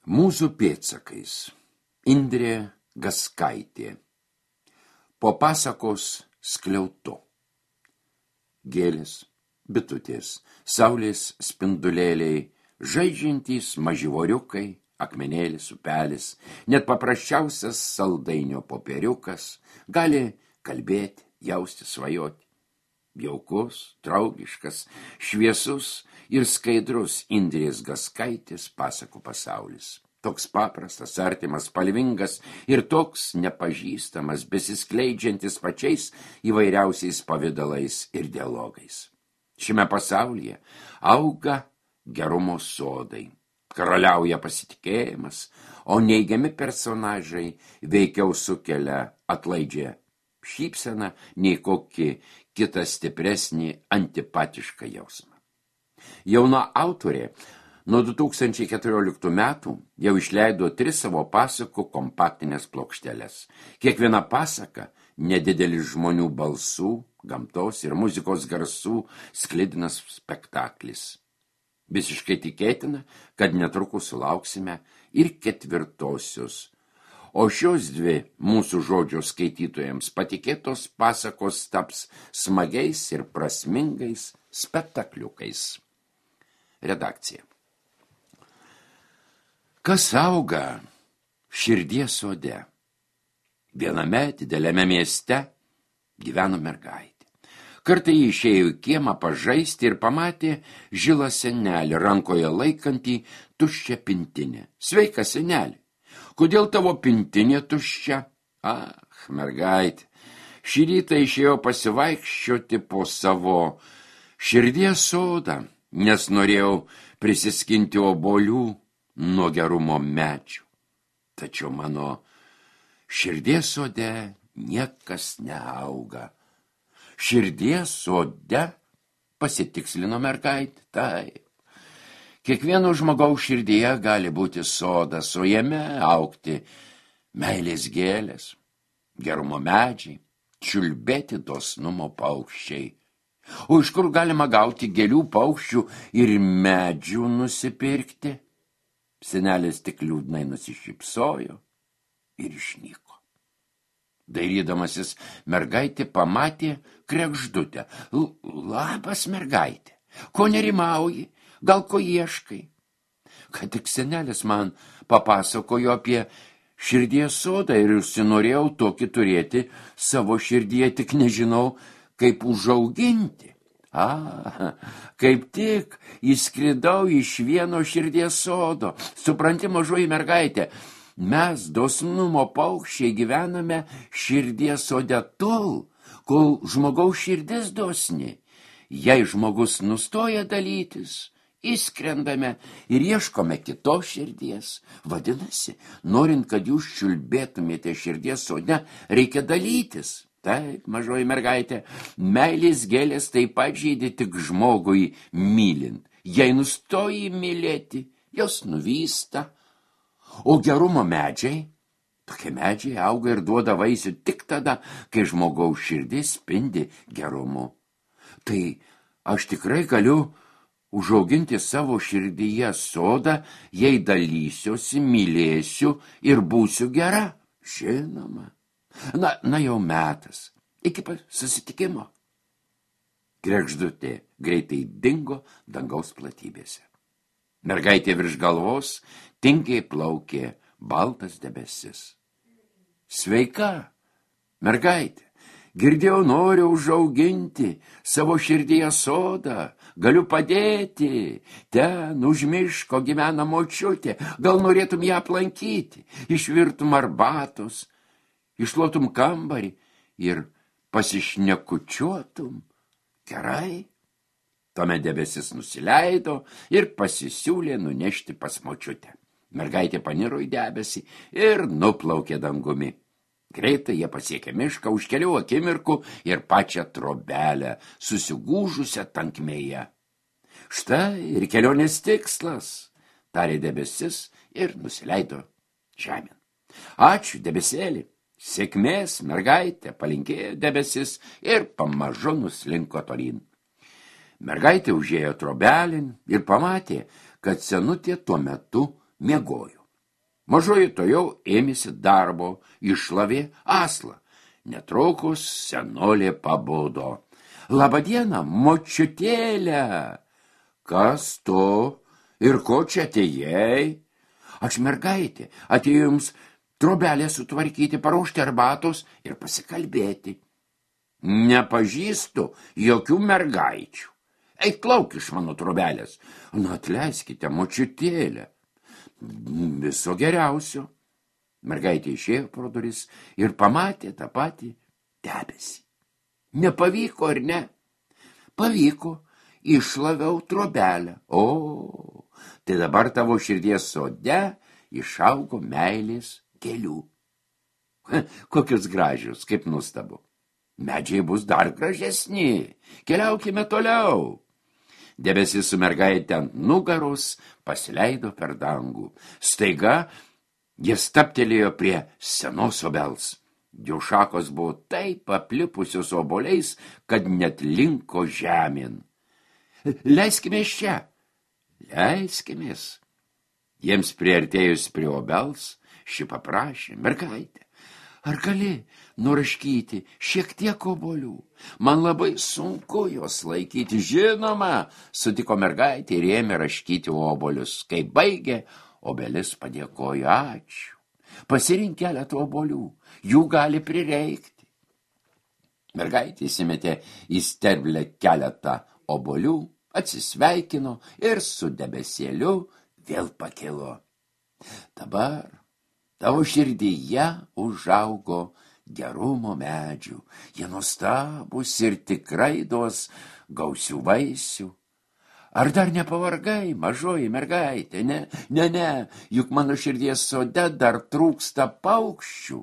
Mūsų pėdsakais. Indrė Gaskaitė. Po pasakos skliautu. Gėlės, bitutės, saulės spindulėliai, žaidžiantys maživoriukai, akmenėlis, upelis, net paprasčiausias saldainio popieriukas gali kalbėti, jausti, svajoti. Jaukus, draugiškas, šviesus ir skaidrus Indrės Gaskaitės pasakų pasaulis. Toks paprastas, artimas, spalvingas ir toks nepažįstamas, besiskleidžiantis pačiais įvairiausiais pavidalais ir dialogais. Šiame pasaulyje auga gerumo sodai, karaliauja pasitikėjimas, o neigiami personažai veikiau sukelia atlaidžią šypseną nei kokį kitą stipresnį antipatišką jausmą. Jauna autorė nuo 2014 metų jau išleido 3 savo pasakų kompaktinės plokšteles. Kiekviena pasaka nedidelis žmonių balsų, gamtos ir muzikos garsų sklidinas spektaklis. Visiškai tikėtina, kad netrukus sulauksime ir 4-osios. O šios 2 mūsų žodžio skaitytojams patikėtos pasakos taps smagiais ir prasmingais spektakliukais. Redakcija. Kas auga širdies sode? Viename dideliame mieste gyveno mergaitė. Kartą ji išėjo į kiemą pažaisti ir pamatė žilą senelį, rankoje laikantį tuščią pintinę. Sveika, senelį. Kodėl tavo pintinė tuščia? Mergaitė, šį rytą išėjo pasivaikščioti po savo širdies sodą, nes norėjau prisiskinti obuolių nuo gerumo medžių. Tačiau mano širdies sode niekas neauga. Širdies sode, pasitikslino mergaitė, taip. Kiekvieno žmogaus širdyje gali būti sodas, o jame augti meilės gėlės, gerumo medžiai, čiulbėti dosnumo paukščiai. O iš kur galima gauti gėlių, paukščių ir medžių nusipirkti? Senelis tik liūdnai nusišypsojo ir išnyko. Dairydamasis, mergaitė pamatė kregždutę. Labas, mergaitė, ko nerimauji? Gal ko ieškai? Kad tik senelis man papasakojo apie širdies sodą ir užsinorėjau tokį turėti savo širdyje, tik nežinau, kaip užauginti. Kaip tik įskridau iš vieno širdies sodo. Supranti, mažoji mergaitė, mes dosnumo paukščiai gyvename širdies sode tol, kol žmogaus širdis dosni. Jei žmogus nustoja dalytis, įskrendame ir ieškome kitos širdies. Vadinasi, norint, kad jūs čiulbėtumėte širdies sode, reikia dalytis. Taip, mažoji mergaitė, meilės gėlės taip pat žydi tik žmogui mylint. Jei nustoji mylėti, jos nuvysta. O gerumo medžiai, tokie medžiai auga ir duoda vaisių tik tada, kai žmogaus širdis spindi gerumu. Tai aš tikrai galiu užauginti savo širdyje sodą, jei dalysiuosi, mylėsiu ir būsiu gera. Žinoma. Na jau metas. Iki susitikimo. Kregždutė greitai dingo dangaus platybėse. Mergaitė virš galvos tingiai plaukė baltas debesis. Sveika, mergaitė. Girdėjau, noriu užauginti savo širdyje sodą, galiu padėti, ten už miško gyvena močiutė, gal norėtum ją aplankyti, išvirtum arbatos, išlotum kambarį ir pasišnekučiuotum. Gerai. Tuomet debesis nusileido ir pasisiūlė nunešti pas močiutę. Mergaitė paniro į debesį ir nuplaukė dangumi. Greitai jie pasiekė mišką už kelių akimirkų ir pačią trobelę, susigūžusią tankmėje. Štai ir kelionės tikslas, tarė debesis ir nusileido žemėn. Ačiū, debesėlį. Sėkmės, mergaitė, palinkėjo debesis ir pamažu nuslinko tolyn. Mergaitė užėjo trobelin ir pamatė, kad senutė tuo metu miegojo. Mažoji to jau ėmėsi darbo, iššlavė aslą. Netrukus senolė pabudo. Labadiena, močiutėlė. Kas tu ir ko čia atėjai? Aš mergaitė, atėjau jums trobelę sutvarkyti, paruošti arbatos ir pasikalbėti. Nepažįstu jokių mergaičių. Eik lauk iš mano trobelės. Na, atleiskite, močiutėlė. Viso geriausio. Mergaitė išėjo pro duris ir pamatė tą patį debesį. Nepavyko ar ne? Pavyko, išlaviau trobelę. O, tai dabar tavo širdies sode išaugo meilės gėlių. Kokius gražius, kaip nustabu. Medžiai bus dar gražesni. Keliaukime toliau. Debesis su mergaitė ant nugaros pasileido per dangų. Staiga jie staptelėjo prie senos obels. Jų šakos buvo taip aplipusios obuoliais, kad net linko žemėn. Leiskimės čia. Leiskimės. Jiems priartėjus prie obels, ši paprašė: mergaitė, ar gali nuraškyti šiek tiek obuolių? Man labai sunku jos laikyti. Žinoma, sutiko mergaitė ir ėmė raškyti obuolius. Kai baigė, obelis padėkojo: ačiū. Pasirink keletą obuolių, jų gali prireikti. Mergaitė įsimetė į sterblę keletą obuolių, atsisveikino ir su debesėliu vėl pakilo. Dabar tavo širdyje užaugo gerumo medžių. Jie nuostabūs ir tikrai duos gausių vaisių. Ar dar nepavargai, mažoji mergaitė? Ne, juk mano širdies sode dar trūksta paukščių.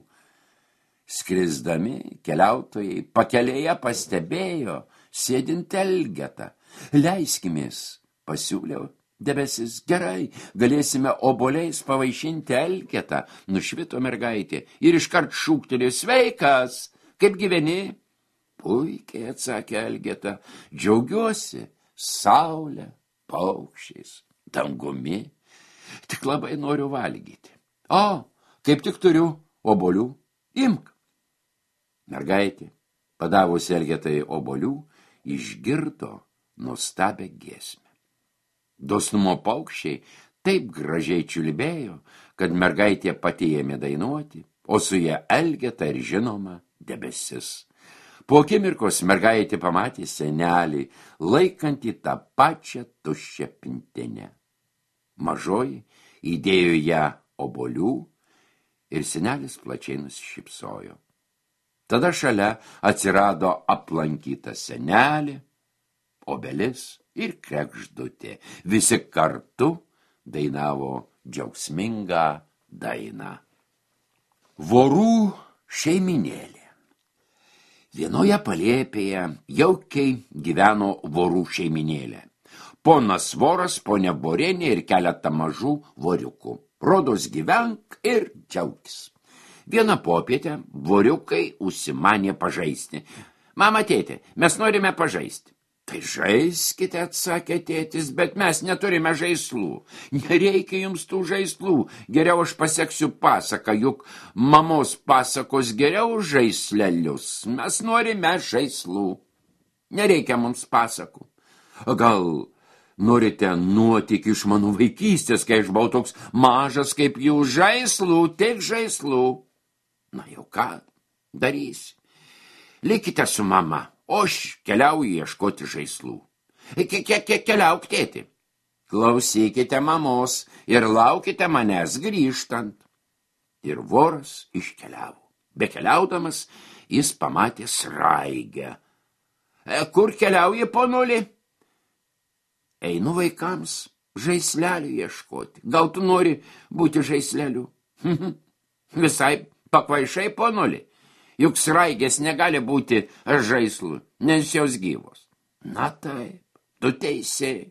Skrisdami keliautojai pakelėje pastebėjo sėdint elgetą. Leiskimės, pasiūliau debesis. Gerai, galėsime obuoliais pavaišinti elgetą. Nušvito mergaitė ir iškart šūktelėjo: sveikas, kaip gyveni? Puikiai, atsakė elgeta, džiaugiuosi saulę, paukščiais, dangumi. Tik labai noriu valgyti. O, kaip tik turiu obuolių, imk. Mergaitė, padavusi elgetai obuolių, išgirdo nuostabią giesmę. Dosnumo paukščiai taip gražiai čiulbėjo, kad mergaitė pati ėmė dainuoti, o su ja elgeta ir žinoma debesis. Po akimirkos mergaitė pamatė senelį, laikantį tą pačią tuščią pintinę. Mažoji įdėjo ją obuolių ir senelis plačiai nusišypsojo. Tada šalia atsirado aplankyta senelė, obelis ir kregždutė. Visi kartu dainavo džiaugsmingą dainą. Vorų šeiminėlė. Vienoje palėpėje jaukiai gyveno vorų šeiminėlė. Ponas voras, ponia vorėnė ir keletą mažų voriukų. Rodos gyvenk ir džiaugis. Vieną popietę voriukai užsimanė pažaisti. Mama, tėtė, mes norime pažaisti. Tai žaiskite, atsakė tėtis, bet mes neturime žaislų. Nereikia jums tų žaislų. Geriau aš paseksiu pasaką, juk mamos pasakos geriau žaislelius. Mes norime žaislų. Nereikia mums pasakų. Gal norite nuotykį iš mano vaikystės, kai aš buvau toks mažas kaip jų? Žaislų, tik žaislų. Na jau ką darysi? Likite su mama. O aš keliauju ieškoti žaislų. Keliauk, tėti. Klausykite mamos ir laukite manęs grįžtant. Ir voras iškeliavo. Bekeliaudamas, jis pamatė sraigę. Kur keliauji, ponuli? Einu vaikams žaislelių ieškoti. Gal tu nori būti žaisleliu? Visai pakvaišai, ponuli. Juk sraigės negali būti žaislų, nes jos gyvos. Na taip, tu teisė.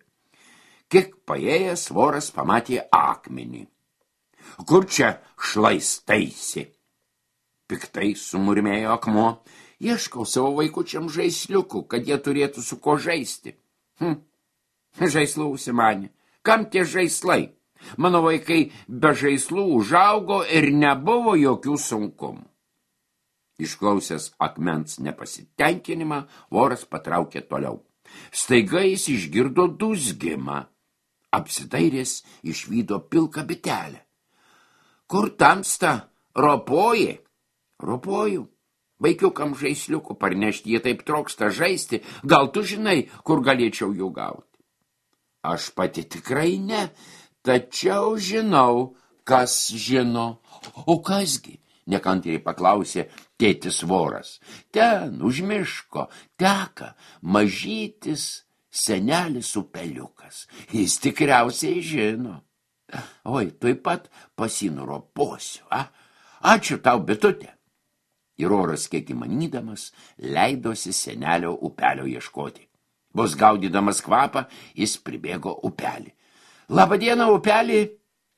Kiek paėjęs voras pamatė akmenį. Kur čia šlaistaisi? Piktai sumurmėjo akmuo. Ieškau savo vaikučiam žaisliukų, kad jie turėtų su ko žaisti. Žaislų užsimanė. Kam tie žaislai? Mano vaikai be žaislų užaugo ir nebuvo jokių sunkumų. Išklausęs akmens nepasitenkinimą, voras patraukė toliau. Staiga jis išgirdo dūzgimą. Apsidairęs išvydo pilką bitelę. Kur tamsta? Ropoji? Ropoju. Vaikiukam žaisliukų parnešti, jie taip trokšta žaisti. Gal tu žinai, kur galėčiau jų gauti? Aš pati tikrai ne, tačiau žinau, kas žino. O kasgi? Nekantriai paklausė tėtis voras. Ten, už miško, teka mažytis senelis upeliukas. Jis tikriausiai žino. Oi, tuoj pat pasinuroposiu, Ačiū tau, bitutė. Ir oras, kiek įmanydamas, leidosi senelio upelio ieškoti. Vos gaudydamas kvapą, jis pribėgo upelį. Labą dieną, upelį.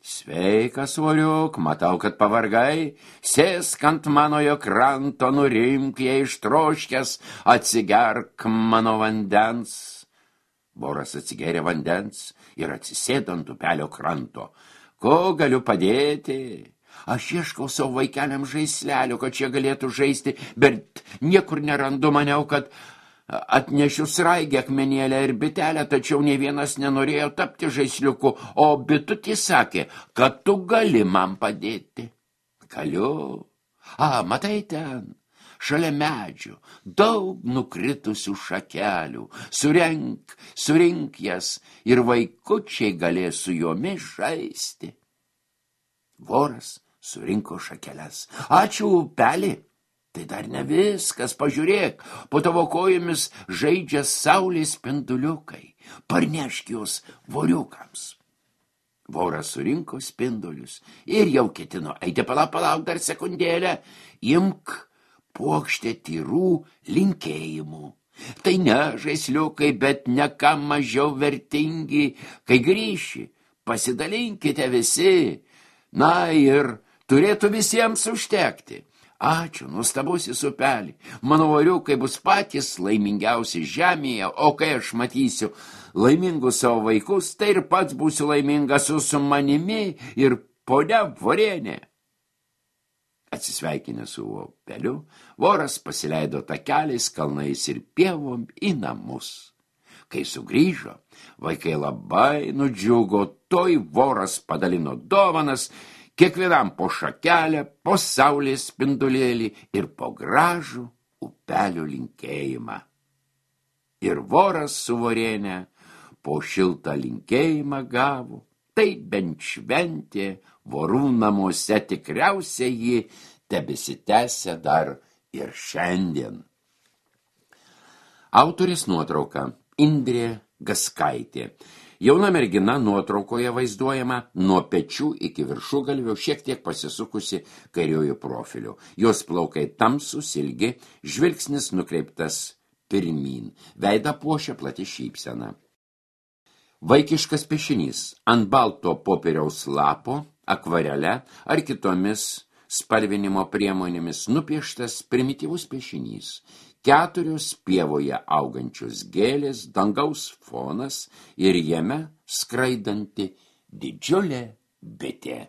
Sveikas, voriuk, matau, kad pavargai. Sėsk ant manojo kranto, nurimk, jei ištroškęs, atsigerk mano vandens. Voras atsigėrė vandens ir atsisėdo ant upelio kranto. Ko galiu padėti? Aš ieškau savo vaikeliam žaislelio, kad šie galėtų žaisti, bet niekur nerandu, maniau, kad atnešiu sraigę, akmenėlę ir bitelę, tačiau nei vienas nenorėjo tapti žaisliuku, o bitutė sakė, kad tu gali man padėti. Galiu. Matai ten, šalia medžių, daug nukritusių šakelių. Surink jas ir vaikučiai galės su jomis žaisti. Voras surinko šakeles. Ačiū, upelį. Tai dar ne viskas, pažiūrėk, po tavo kojomis žaidžia saulės spinduliukai. Parnešk juos voriukams. Voras surinko spindulius ir jau ketino eiti, palauk dar sekundėlę, imk puokštę tyrų linkėjimų. Tai ne žaisliukai, bet ne ką mažiau vertingi. Kai grįši, pasidalinkite visi. Na ir turėtų visiems užtekti. Ačiū, nuostabusis upelį. Mano voriukai bus patys laimingiausi žemėje, o kai aš matysiu laimingus savo vaikus, tai ir pats būsiu laimingas su manimi ir ponia Vorienė. Atsisveikinęs su upeliu, voras pasileido takeliais, kalnais ir pievom į namus. Kai sugrįžo, vaikai labai nudžiugo, toj voras padalino dovanas, kiekvienam po šakelę, po saulės spindulėlį ir po gražų upelio linkėjimą. Ir voras su Voriene po šiltą linkėjimą gavo, tai bent šventė vorų namuose, tikriausiai ji tebesitęsia dar ir šiandien. Autorės nuotrauka Indrė Gaskaitė. Jauna mergina nuotraukoje vaizduojama nuo pečių iki viršugalvio, šiek tiek pasisukusi kairiuoju profiliu. Jos plaukai tamsūs, ilgi, žvilgsnis nukreiptas pirmyn. Veidą puošia plati šypsena. Vaikiškas piešinys ant balto popieriaus lapo, akvarele ar kitomis spalvinimo priemonėmis nupieštas primityvus piešinys. 4 pievoje augančios gėlės, dangaus fonas ir jame skraidanti didžiulė bitė.